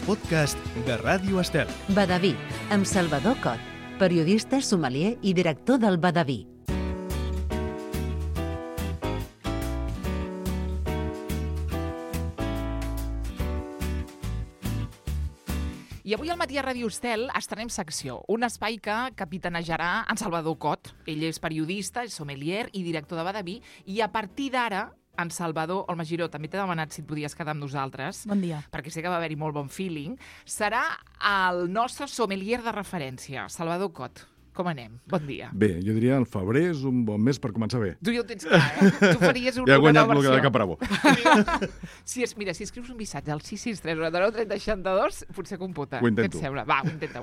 podcast de Ràdio Estel. Badaví, amb Salvador Cot, periodista, sommelier i director del Badaví. I avui al matí a Ràdio Estel estrenem secció, un espai que capitanejarà en Salvador Cot. Ell és periodista, és sommelier i director de Badaví, i a partir d'ara en Salvador Olmegiró, també t'he demanat si et podies quedar amb nosaltres. Bon dia. Perquè sé que va haver-hi molt bon feeling. Serà el nostre sommelier de referència, Salvador Cot. Com anem? Bon dia. Bé, jo diria el febrer és un bon mes per començar bé. Tu ja ho tens clar, eh? Tu faries Ja he una guanyat nova el versió. de Capravo. Mira, si escrius un missatge al 663 99 30 62, potser computa. Ho intento. Què et sembla? Va, ho intenteu.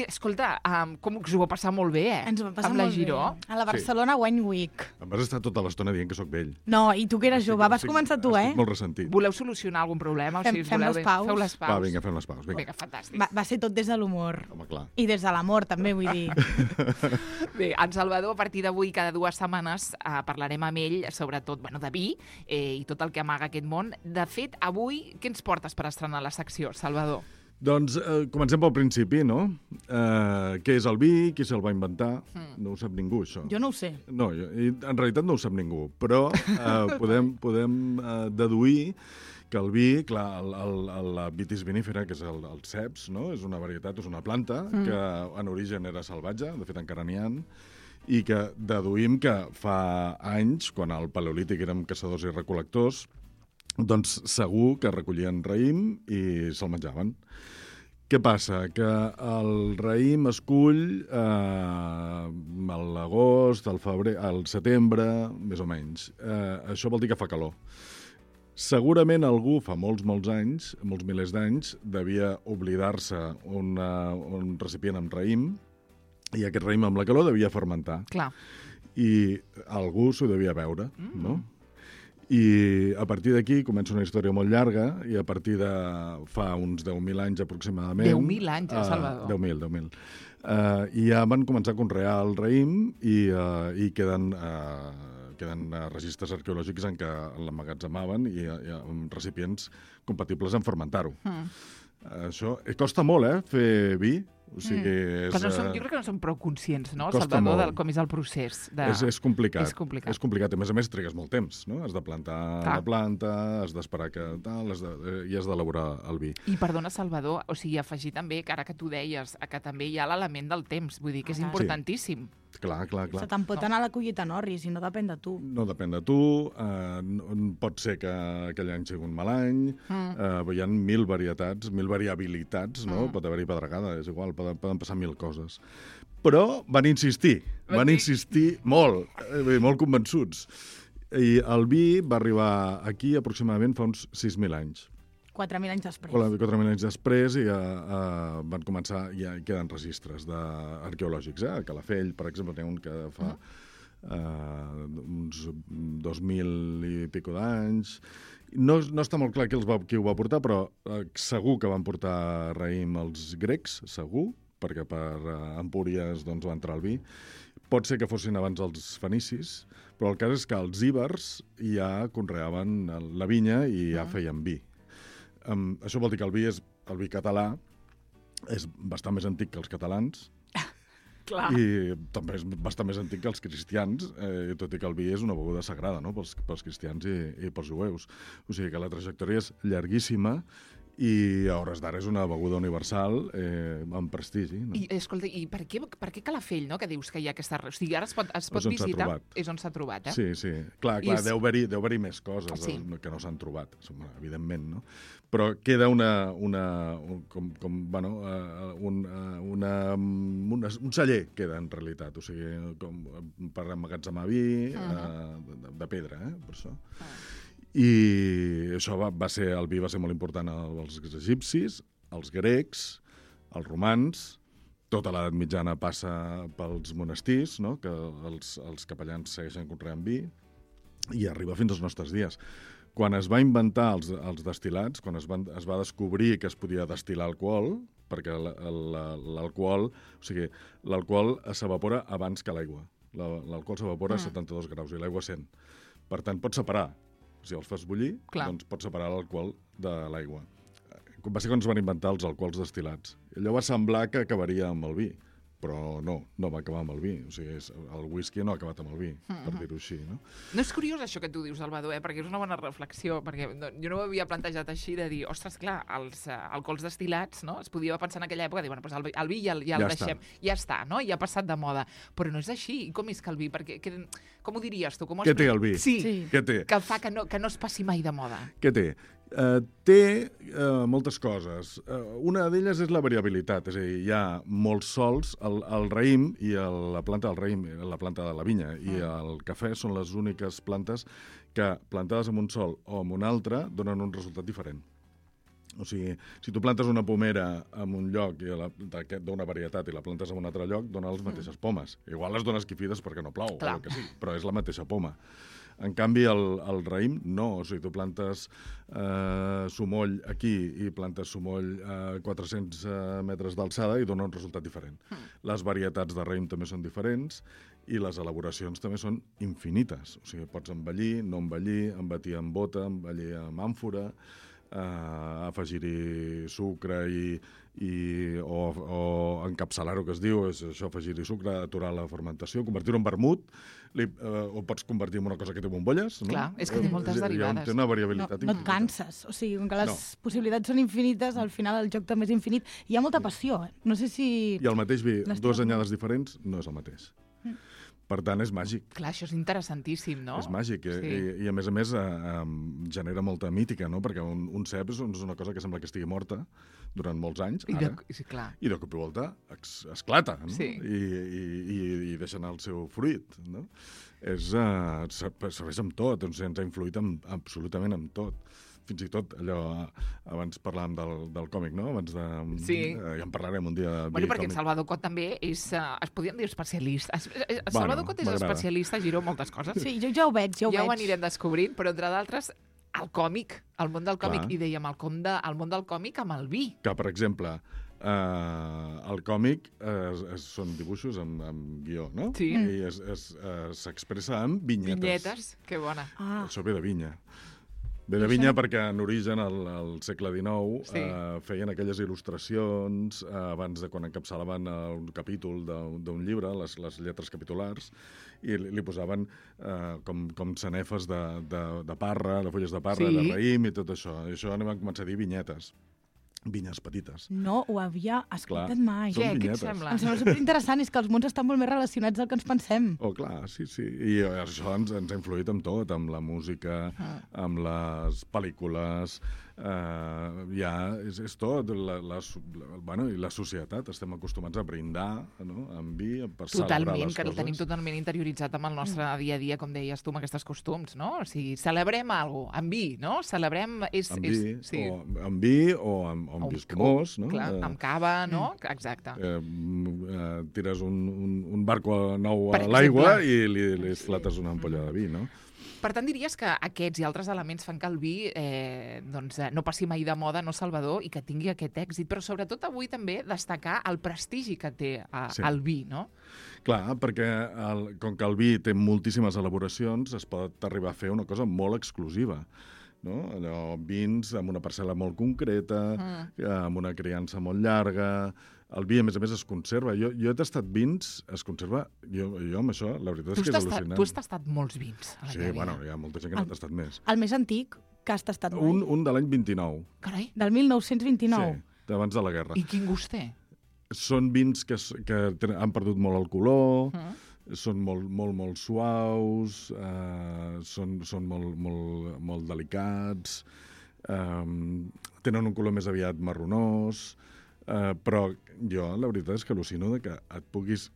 Escolta, com us ho va passar molt bé, eh? Ens ho va passar amb la molt Giró. bé. A la Barcelona Wine Week. Em vas estar tota l'estona dient que sóc vell. No, i tu que eres jove, vas començar tu, eh? Estic molt ressentit. Voleu solucionar algun problema? Fem les paus. Feu les paus. Va, vinga, fem les paus. Vinga. Vinga, fantàstic. Va ser tot des de l'humor. Home, clar. I des de l'amor, també, vull dir. Bé, en Salvador, a partir d'avui, cada 2 setmanes, parlarem amb ell, sobretot, de vi i tot el que amaga aquest món. De fet, avui, què ens portes per estrenar la secció, Salvador? Doncs comencem pel principi, no? Què és el vi? Qui se'l va inventar? No ho sap ningú, això. Jo no ho sé. No, en realitat no ho sap ningú, però podem deduir que el vi, clar, la vitis vinifera, que és el ceps, no? És una varietat, és una planta que en origen era salvatge, de fet encara n'hi ha, i que deduïm que fa anys, quan al Paleolític érem caçadors i recol·lectors, doncs segur que recollien raïm i se'l menjaven. Què passa? Que el raïm es cull a l'agost, al febrer, al setembre, més o menys. Això vol dir que fa calor. Segurament algú, fa molts anys, molts milers d'anys, devia oblidar-se un recipient amb raïm, i aquest raïm amb la calor devia fermentar. Clar. I algú s'ho devia beure, no? I a partir d'aquí comença una història molt llarga, i a partir de fa uns 10.000 anys aproximadament... 10.000 anys, Salvador? 10.000. I ja van començar a conrear el raïm i queden registres arqueològics en què l'emmagatzemaven i amb recipients compatibles amb fermentar-ho. Això costa molt, fer vi. O sigui, jo crec que no som prou conscients, no, costa Salvador, molt. com és el procés. És complicat. És complicat. És complicat. A més trigues molt temps, no? Has de plantar la planta, has d'esperar que tal, i has d'elaborar el vi. I perdona, Salvador, o sigui, afegir també, que ara que tu deies, que també hi ha l'element del temps, vull dir que és importantíssim. Clar. Se te'n pot anar a la collita Norris i no depèn de tu. No depèn de tu, pot ser que aquell any sigui un mal any, hi ha 1.000 varietats, 1.000 variabilitats, no? Pot haver-hi pedregada, és igual, poden passar 1.000 coses. Però van insistir molt convençuts. I el vi va arribar aquí aproximadament fa uns 6.000 anys. 4.000 anys després. 4.000 anys després i van començar, ja queden registres arqueològics. A Calafell, per exemple, n'hi ha un que fa uns 2.000 i pico d'anys. No està molt clar qui ho va portar, però segur que van portar raïm els grecs, segur, perquè per Empúries va entrar el vi. Pot ser que fossin abans els fenicis, però el cas és que els íbers ja conreaven la vinya i ja feien vi. Això vol dir que el vi català és bastant més antic que els catalans. Clar. I també és bastant més antic que els cristians, tot i que el vi és una beguda sagrada, no? pels cristians i pels jueus. O sigui que la trajectòria és llarguíssima i a hores d'ara és una beguda universal amb prestigi. No? I, escolta, i per què Calafell, no?, que dius que hi ha aquesta... O sigui, ara es pot visitar... És on s'ha trobat, eh? Sí. Clar, deu haver-hi més coses que no s'han trobat, evidentment, no? Però queda un celler, queda en realitat, o sigui, per emmagatzemar vi de pedra, per això. I això el vi va ser molt important als egipcis, als grecs, als romans. Tota l'edat mitjana passa pels monestirs, no? Que els capellans segueixen conreant vi, i arriba fins als nostres dies. Quan es va inventar els destil·lats, quan es va descobrir que es podia destil·lar alcohol, perquè l'alcohol s'evapora abans que l'aigua. L'alcohol s'evapora a 72 graus i l'aigua a 100. Per tant, pots separar. Si els fas bullir, doncs pots separar l'alcohol de l'aigua. va ser quan es van inventar els alcohols destil·lats. Allò va semblar que acabaria amb el vi, però no va acabar amb el vi. O sigui, el whisky no ha acabat amb el vi, per dir-ho així, no? No és curiós això que tu dius, Salvador, perquè és una bona reflexió, perquè jo no ho havia plantejat així, de dir, ostres, clar, els alcohols destil·lats, no? Es podia pensar en aquella època, dir, bueno, doncs el vi ja el deixem, ja està, no? Ja ha passat de moda. Però no és així. I com és que el vi? Perquè, com ho diries tu? Què té el vi? Sí, Què té? que fa que no es passi mai de moda. Què té? Té moltes coses. Una d'elles és la variabilitat, és a dir, hi ha molts sols, el raïm i la planta del raïm, la planta de la vinya i el cafè són les úniques plantes que, plantades en un sol o en un altre, donen un resultat diferent. O sigui, si tu plantes una pomera en un lloc d'una varietat i la plantes en un altre lloc, dona les mateixes pomes. Igual les dones quifides perquè no plou, o el que sigui, però és la mateixa poma. En canvi, el raïm, no. O sigui, tu plantes sumoll aquí i plantes sumoll a 400 metres d'alçada i dona un resultat diferent. Les varietats de raïm també són diferents i les elaboracions també són infinites. O sigui, pots envellir, no envellir, envatir amb bota, envellir amb àmfora, afegir-hi sucre o encapçalar-ho, que es diu, és això, afegir-hi sucre, aturar la fermentació, convertir-ho en vermut, o pots convertir en una cosa que té bombolles. No? Clar, és que té moltes derivades. Té una variabilitat No infinita. et canses. O sigui, com que les possibilitats són infinites, al final el joc també és infinit. Hi ha molta passió. No sé si... I el mateix vi, dues anyades diferents, no és el mateix. Per tant, és màgic. Clar, això és interessantíssim, no? És màgic, Sí. i a més genera molta mítica, no? Perquè un cep és una cosa que sembla que estigui morta durant molts anys, ara, Sí, clar. i de cop i volta esclata, no? Sí. I deixa anar el seu fruit, no? Serveix amb tot, ens ha influït absolutament amb tot. Fins i tot allò, abans parlàvem del còmic, no? Sí. Ja en parlarem un dia. Bueno, perquè en Salvador Cot també és, es podien dir especialista. Salvador Cot és m'agrada. especialista a Giró moltes coses. Sí, jo ja ho veig, Ja ho anirem descobrint, però entre d'altres, el còmic, el món del còmic, Clar. i dèiem el món del còmic amb el vi. Que, per exemple, el còmic són dibuixos amb guió, no? Sí. I s'expressa amb vinyetes. Vinyetes, que bona. Això ve de vinya. Ve de vinya perquè en origen, al segle XIX, Sí. feien aquelles il·lustracions abans de quan encapçalaven un capítol d'un llibre, les lletres capitulars, i li posaven com sanefes de parra, de fulles de parra, Sí. de raïm i tot això. I això van començar a dir vinyetes. Vinyes petites. No ho havia escoltat Clar. mai. Són Què et vinyetes. sembla? Em sembla superinteressant, és que els mons estan molt més relacionats del que ens pensem. Oh, clar, sí. I això ens ha influït amb tot, amb la música, amb les pel·lícules, és tot. Bueno, i la societat, estem acostumats a brindar, no?, amb vi, per celebrar Totalment, les que el coses. tenim totalment interioritzat amb el nostre dia a dia, com deies tu, amb aquests costums, no? O sigui, celebrem alguna cosa, amb vi, no? Celebrem... Amb vi o amb vi escumós, no? Clar, amb cava, no? Exacte. Tires un barco nou Per a l'aigua exemple. i li esclates una ampolla de vi, no? Per tant, diries que aquests i altres elements fan que el vi no passi mai de moda, no, Salvador, i que tingui aquest èxit, però sobretot avui també destacar el prestigi que té el vi, no? Clar, perquè com que el vi té moltíssimes elaboracions, es pot arribar a fer una cosa molt exclusiva. No? Allò, vins amb una parcel·la molt concreta, amb una criança molt llarga. El vi, a més, es conserva. Jo he tastat vins, es conserva... Jo amb això, la veritat és que és al·lucinant. Tu has tastat molts vins a la Sí, teva vida. bueno, hi ha molta gent que n'ha tastat més. El més antic que has tastat mai. Un de l'any 29. Carai, Del 1929. Sí, d'abans de la guerra. i quin gust té? Són vins que han perdut molt el color, són molt suaus, són molt delicats, tenen un color més aviat marronós, però jo la veritat és que al·lucino que et puguis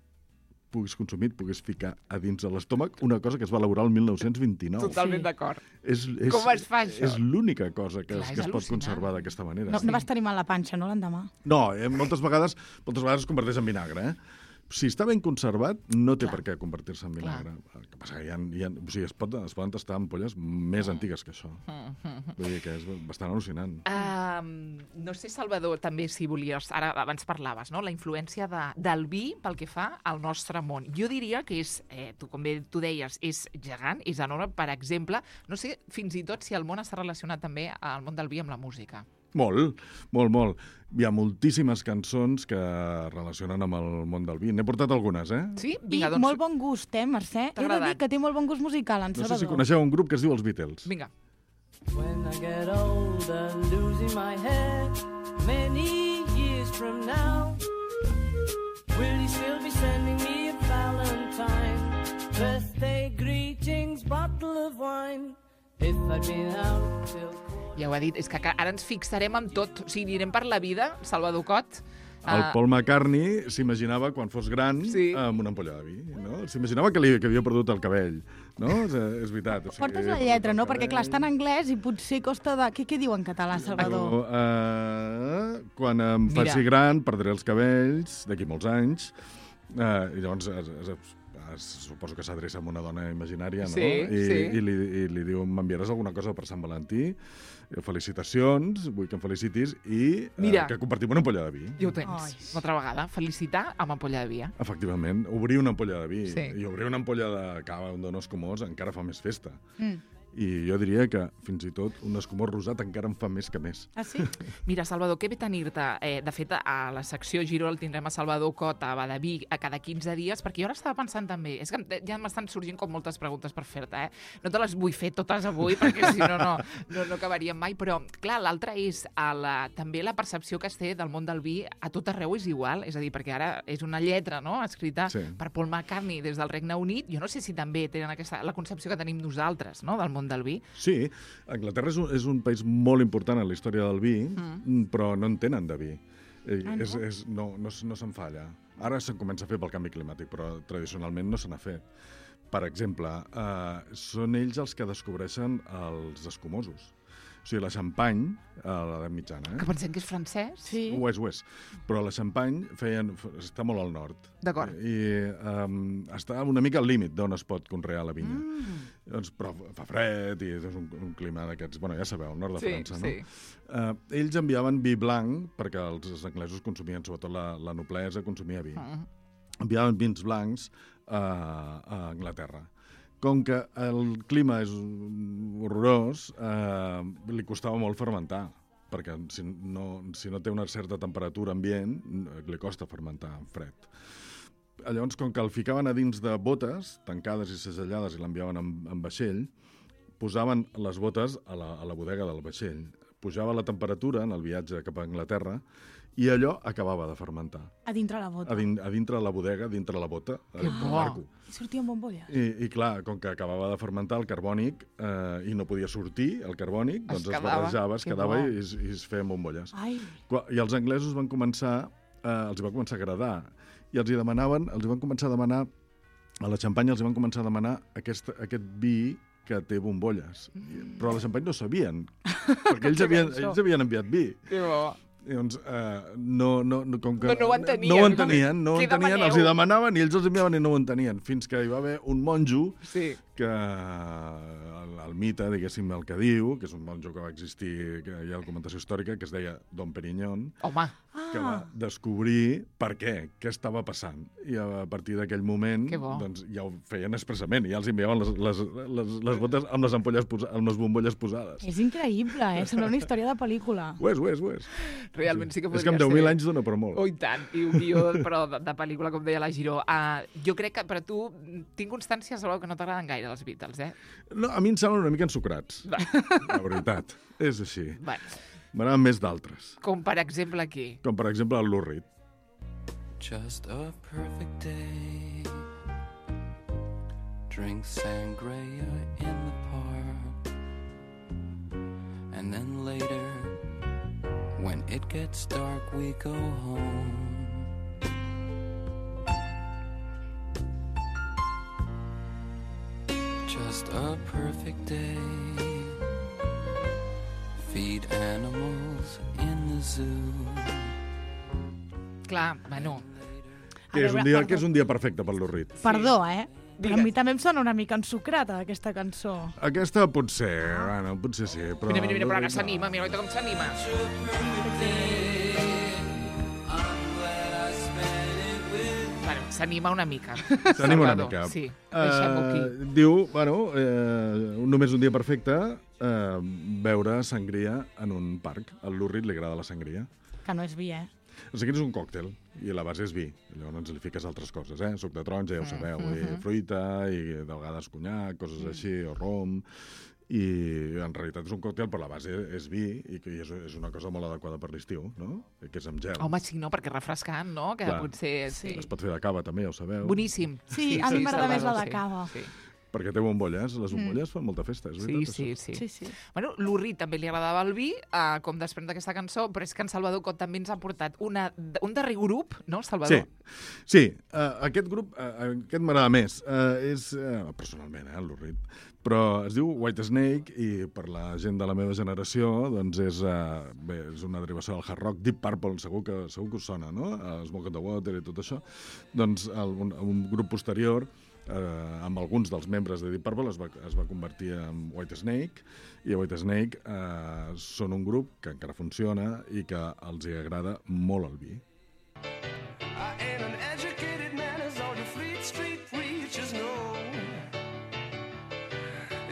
consumir, et puguis ficar a dins de l'estómac una cosa que es va elaborar el 1929. Totalment d'acord. És, Com es fa, això? És l'única cosa que Clar, és es pot al·lucinant. conservar d'aquesta manera. No vas tenir mal la panxa, no, l'endemà? No, moltes vegades es converteix en vinagre, Si està ben conservat, no té Clar. per què convertir-se en vinagre. El que passa que o sigui, es poden tastar ampolles més antigues que això. Vull dir que és bastant al·lucinant. No sé, Salvador, també, si volies... Ara, abans parlaves, no?, la influència del vi pel que fa al nostre món. Jo diria que és, com bé tu deies, és gegant, és enorme. Per exemple, no sé fins i tot si el món està relacionat també al món del vi amb la música. Molt. Hi ha moltíssimes cançons que relacionen amb el món del vi. N'he portat algunes, Sí? I Vinga, doncs... molt bon gust, Mercè? T'ha He de dir agradat? que té molt bon gust musical, en No sé Salvador. si coneixeu un grup que es diu els Beatles. Vinga. When I get older, losing my head, many years from now, will you still be sending me a Valentine? Birthday greetings, bottle of wine. If I'd been out till... Ja ho ha dit, és que ara ens fixarem en tot. O sigui, anirem per la vida, Salvador Cot. El Paul McCartney s'imaginava, quan fos gran, Sí. amb una ampolla de vi. No? S'imaginava que havia perdut el cabell. No? És veritat. O sigui, Portes la havia lletra, perdut no? el Perquè, clar, està en anglès i potser costa de... Què diu en català, Salvador? Quan em Mira. faci gran, perdré els cabells, d'aquí molts anys. I llavors suposo que s'adreça a una dona imaginària, no? Sí. I li diu, m'enviaràs alguna cosa per Sant Valentí? Felicitacions, vull que em felicitis i Mira. que compartim una ampolla de vi. Ja ho tens. Ai. Una altra vegada. Felicitar amb ampolla de vi. Efectivament, obrir una ampolla de vi Sí. i obrir una ampolla de cava d'un escumós encara fa més festa. Mm. I jo diria que, fins i tot, un escumós rosat encara en fa més que més. Ah, sí? Mira, Salvador, que bé tenir-te. De fet, a la secció Giro el tindrem a Salvador Cot a Badaví a cada 15 dies, perquè jo ara estava pensant també, és que ja m'estan sorgint com moltes preguntes per fer-te, No te les vull fer totes avui, perquè si no acabaríem mai, però, clar, l'altre és també la percepció que es té del món del vi a tot arreu és igual, és a dir, perquè ara és una lletra, no?, escrita per Paul McCartney des del Regne Unit. Jo no sé si també tenen la concepció que tenim nosaltres, no?, del món del vi. Sí, Anglaterra és un país molt important en la història del vi, però no en tenen de vi. No se'n fa allà. Ara se'n comença a fer pel canvi climàtic, però tradicionalment no se n'ha fet. Per exemple, són ells els que descobreixen els escumosos. O sigui, la Champagne, a l'edat mitjana... Que pensem que és francès. Sí. Ho és. Però la Champagne està molt al nord. D'acord. I està una mica al límit d'on es pot conrear la vinya. Doncs, però fa fred i és un clima d'aquests... Bueno, ja sabeu, al nord de França, no? Ells enviaven vi blanc, perquè els anglesos consumien, sobretot la noblesa, consumia vi. Enviaven vins blancs a Anglaterra. Com que el clima és horrorós, li costava molt fermentar, perquè si no té una certa temperatura ambient, li costa fermentar en fred. Llavors, com que el ficaven a dins de botes, tancades i segellades, i l'enviaven en vaixell, posaven les botes a la bodega del vaixell. Pujava la temperatura en el viatge cap a Anglaterra i allò acabava de fermentar. A dintre la bota. A dintre la bodega, dintre la bota, al barco. I sortien bombolles. I clar, com que acabava de fermentar el carbònic i no podia sortir el carbònic, doncs es barrejava, es quedava i es feien bombolles. Ai. I els anglesos els va començar a agradar i els van començar a demanar, a la Xampanya els van començar a demanar aquest vi que té bombolles. Però a la Xampanya no sabien, perquè ells havien enviat vi. Que bo. Doncs, com que no ho entenien. No ho entenien, els hi demanaven i ells els enviaven i no ho entenien, fins que hi va haver un monjo que el mite, diguéssim, el que diu, que és un monjo que va existir, que hi ha documentació històrica, que es deia Dom Perignon, Home. que va descobrir per què estava passant. I a partir d'aquell moment doncs, ja ho feien expressament, i ja els enviaven les botes amb les ampolles amb les bombolles posades. És increïble, sembla una història de pel·lícula. Ho és. Realment sí que podria ser. És que amb 10.000 anys dona per molt. Oh, i tant. I un guió, però de pel·lícula, com deia la Giró. Jo crec que, per a tu, tinc constància, Salvador, que no t'agraden gaire els Beatles, No, a mi em semblen una mica ensucrats. La veritat. És així. M'agraden més d'altres. Com, per exemple, aquí? Com, per exemple, el Lou Reed. Just a perfect day. Drink sangria in the park. And then later, when it gets dark, we go home. Just a perfect day. Feed animals in the zoo. Clar, bueno... Que és un dia perfecte pel Lou Reed. Perdó, però a mi també em sona una mica ensucrata, aquesta cançó. Aquesta potser sí, però... Mira, però ara s'anima, mira com s'anima. Bueno, s'anima una mica. S'anima una Salvador. mica. Sí, deixem-ho aquí. Diu, bueno, només un dia perfecte, beure sangria en un parc. Al Lurrit li agrada la sangria. Que no és vi, eh? O sigui, és un còctel, i la base és vi. Llavors li fiques altres coses, Suc de taronja, ja ho sabeu, i fruita, i de vegades conyac, coses així, o rom. I en realitat és un còctel, però la base és vi, i que és una cosa molt adequada per l'estiu, no? Que és amb gel. Home, sí, no? Perquè refrescant, no? Que Clar. potser... Sí. Es pot fer de cava, també, ja ho sabeu. Boníssim. Sí, a mi m'agrada més la de Salvador, cava. Sí. Perquè té bombolles. Les bombolles fan molta festa, és Sí, veritat, sí, això? sí. Sí, sí. Bueno, l'Urri també li agradava el vi, com després d'aquesta cançó, però és que en Salvador Cot també ens ha portat un darrer grup, no, Salvador? Sí, aquest grup, aquest m'agrada més. És, personalment, l'Urrit, però es diu White Snake i per la gent de la meva generació doncs és una derivació del hard rock. Deep Purple, segur que us sona, no? Smoke on the Water i tot això. Doncs un grup posterior, amb alguns dels membres de Deep Purple es va convertir en White Snake, i White Snake són un grup que encara funciona i que els hi agrada molt el vi. I ain't an educated man as all your Fleet Street preachers know.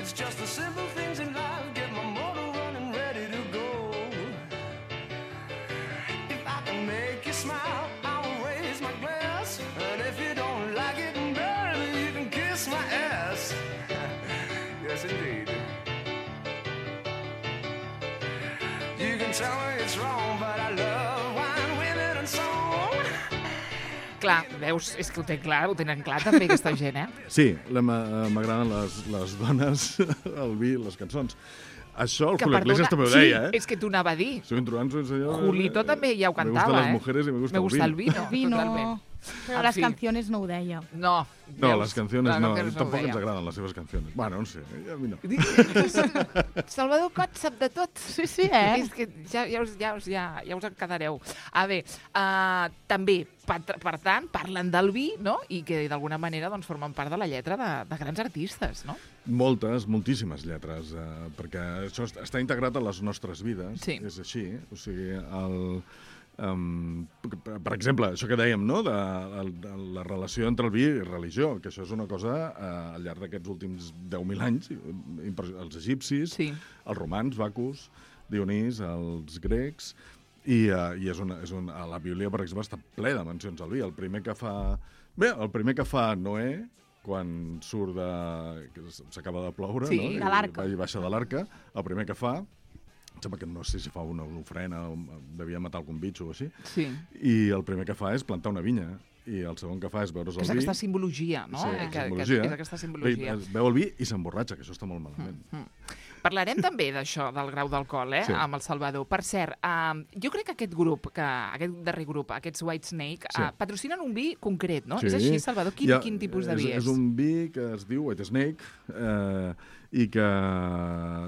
It's just the simple things in life, get my motor running ready to go. If I can make you smile, I will raise my glass. And if you don't like it, baby, you can kiss my ass. Yes, indeed. You can tell me it's wrong, but I love wine, women and song. Clar, veus, és que ho tenen clar també aquesta gent, Sí, m'agraden les dones, el vi, les cançons. Això el Julio Iglesias també ho deia, Sí, és que t'ho anava a dir. Soy un truanzo, señor. Julito també ja ho Me cantava, gustan las mujeres y me gusta el vino. Vino. Totalment. Però En les fi. canciones no ho deia. No. No, veus? les canciones Les no. canciones ho Tampoc deia. ens agraden les seves canciones. Bueno, no sé, a mi no. Salvador Cot sap de tot. Sí, sí, eh? És que ja us en quedareu. A veure, també, per tant, parlen del vi, no? I que d'alguna manera doncs, formen part de la lletra de grans artistes, no? Moltíssimes lletres, perquè això està integrat a les nostres vides. Sí. És així. O sigui, per exemple, això que dèiem, no?, de la relació entre el vi i religió, que això és una cosa al llarg d'aquests últims 10.000 anys, els egipcis, Sí. els romans, Bacus, Dionís, els grecs, i la Bíblia, per exemple, està ple de mencions al vi. El primer que fa Noé, quan surt s'acaba de ploure, Sí, no? de l'arca. I baixa de l'arca, el primer que fa, sembla que no sé si fa una ofrena, devia matar algun bitxo o així, Sí. i el primer que fa és plantar una vinya, i el segon que fa és beure's el És vi. aquesta simbologia, no? Sí, Que simbologia. és aquesta simbologia. Veu el vi i s'emborratxa, que això està molt malament. Parlarem també d'això, del grau d'alcohol, Sí. amb el Salvador. Per cert, jo crec que aquest darrer grup, aquests White Snake, Sí. patrocinen un vi concret, no? Sí. És així, Salvador? Quin tipus de vi és? És un vi que es diu White Snake, i que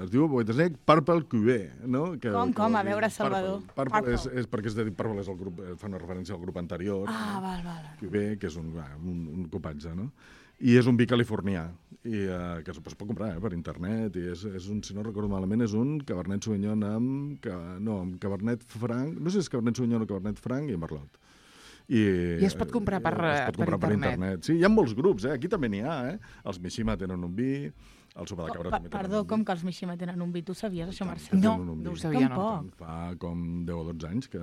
es diu White Snake Purple Cuvée, no? Com? A veure, Salvador. Purple és perquè és de dir Purple és el grup, fa una referència al grup anterior. Ah, val. Cuvée, que és un copatge, no? I és un vi californià, i que es pot comprar per internet, i és un, si no recordo malament, és un Cabernet Sauvignon amb Cabernet Franc, no sé si és Cabernet Sauvignon o Cabernet Franc i Merlot. I es pot comprar per internet. Sí, hi ha molts grups, aquí també n'hi ha, Els Mishima tenen un vi, el Sopa de Cabra també tenen Perdó, un vi. com que els Mishima tenen un vi? Tu sabies això, Marcel? No, tenen un vi. no ho sabia, no. Tampoc. Fa com 10 o 12 anys, que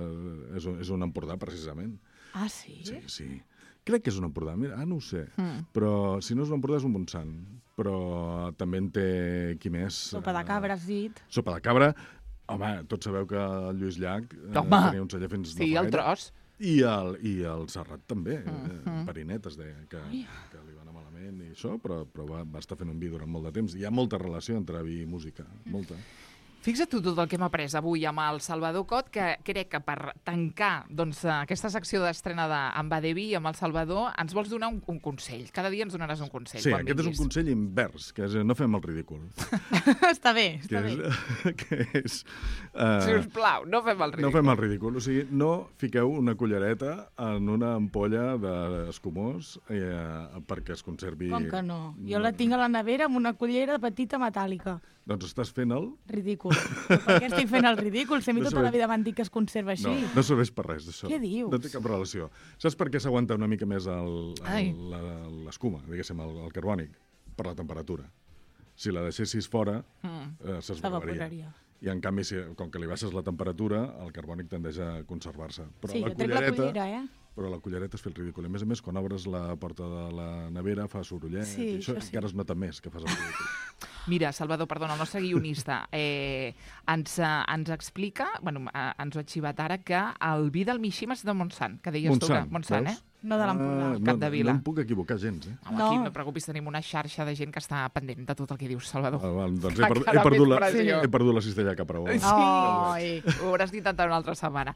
és un Empordà, precisament. Ah, sí? Sí. Crec que és un Empordà, mira, no ho sé. Però si no és un Empordà és un Montsant. Però també en té qui més... Sopa de cabra, has dit. Sopa de cabra. Home, tots sabeu que el Lluís Llach tenia un celler fins Sí, no fa el gaire. tros. I el Serrat també. Perinet es deia, que li va anar malament i això, però va estar fent un vi durant molt de temps. Hi ha molta relació entre vi i música, molta. Fixa't tu tot el que hem après avui amb el Salvador Cot, que crec que per tancar doncs, aquesta secció d'estrena d'en Va de Vi amb el Salvador ens vols donar un consell. Cada dia ens donaràs un consell. Sí, quan aquest és un vinguis. consell invers, que és no fem el ridícul. Està bé, Que està bé. és Sisplau, no fem el ridícul. no fem el ridícul. O sigui, no fiqueu una cullereta en una ampolla d'escumós perquè es conservi... Com que no? Jo la tinc a la nevera amb una cullera petita metàl·lica. Doncs estàs fent el... Ridícul. Per què estic fent el ridícul? Si a mi No tota la serveix. vida m'han dit que es conserva així. No serveix per res, això. Què dius? No té cap relació. Saps per què s'aguanta una mica més Ai. l'escuma, diguéssim, el carbònic? Per la temperatura. Si la deixessis fora, s'esvaloraria. S'evaporaria. I en canvi, com que li baixes la temperatura, el carbònic tendeix a conservar-se. Però Sí, la jo trec la cullereta... cullera, Però la cullereta és fer el ridícul. A més, quan obres la porta de la nevera fa sorollet. Sí, I això això sí. encara es nota més que fas el ridícul. Mira, Salvador, perdona, el nostre guionista ens explica, bueno, ens ho ha xivat ara, que el vi del Mishima és de Montsant, que deies tu que... Montsant, veus? No de l'Empordà. Capdevila. No em puc equivocar gens, eh? Home, No. aquí no et preocupis, tenim una xarxa de gent que està pendent de tot el que dius, Salvador. Doncs Va quedar més pressió. he perdut la cistella cap a Ai. Ho hauràs d'intentar una altra setmana.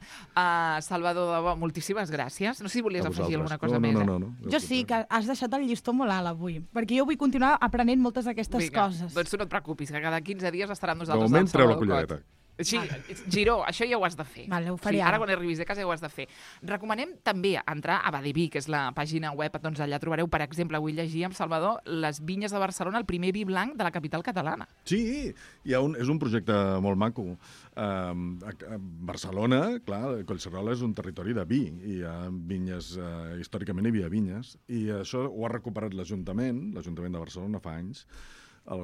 Salvador, de debò, moltíssimes gràcies. No sé si volies A afegir vosaltres. alguna cosa més. No. Jo sí, que has deixat el llistó molt alt avui, perquè jo vull continuar aprenent moltes d'aquestes Vinga, coses. doncs tu no et preocupis, que cada 15 dies estarà amb De nosaltres. moment el treu la Salvador cullereta. Cot. Sí, Giró, això ja ho has de fer. Vale, ho faré sí, ara ara. quan arribis de casa ja ho has de fer. Recomanem també entrar a Badeví, que és la pàgina web, doncs allà trobareu, per exemple, avui llegia amb Salvador les vinyes de Barcelona, el primer vi blanc de la capital catalana. Sí, és un projecte molt maco. A Barcelona, clar, Collserola és un territori de vi, i hi ha vinyes, històricament hi havia vinyes, i això ho ha recuperat l'Ajuntament de Barcelona fa anys. A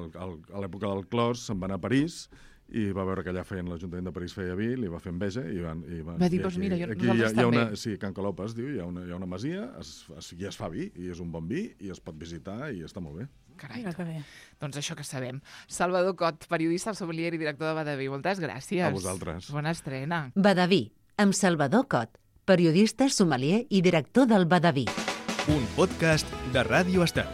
l'època del Clos se'n va anar a París, i va veure que allà l'Ajuntament de París feia vi, li va fer enveja i van... Va dir, doncs mira, nosaltres hi ha també. Sí, Can Calop es diu, hi ha una masia, i es fa vi, i és un bon vi, i es pot visitar, i està molt bé. Carai, Mira que bé. doncs això que sabem. Salvador Cot, periodista, sommelier i director de Badeví. Moltes gràcies. A vosaltres. Bona estrena. Badaví, amb Salvador Cot, periodista, sommelier i director del Badaví. Un podcast de Ràdio Estel.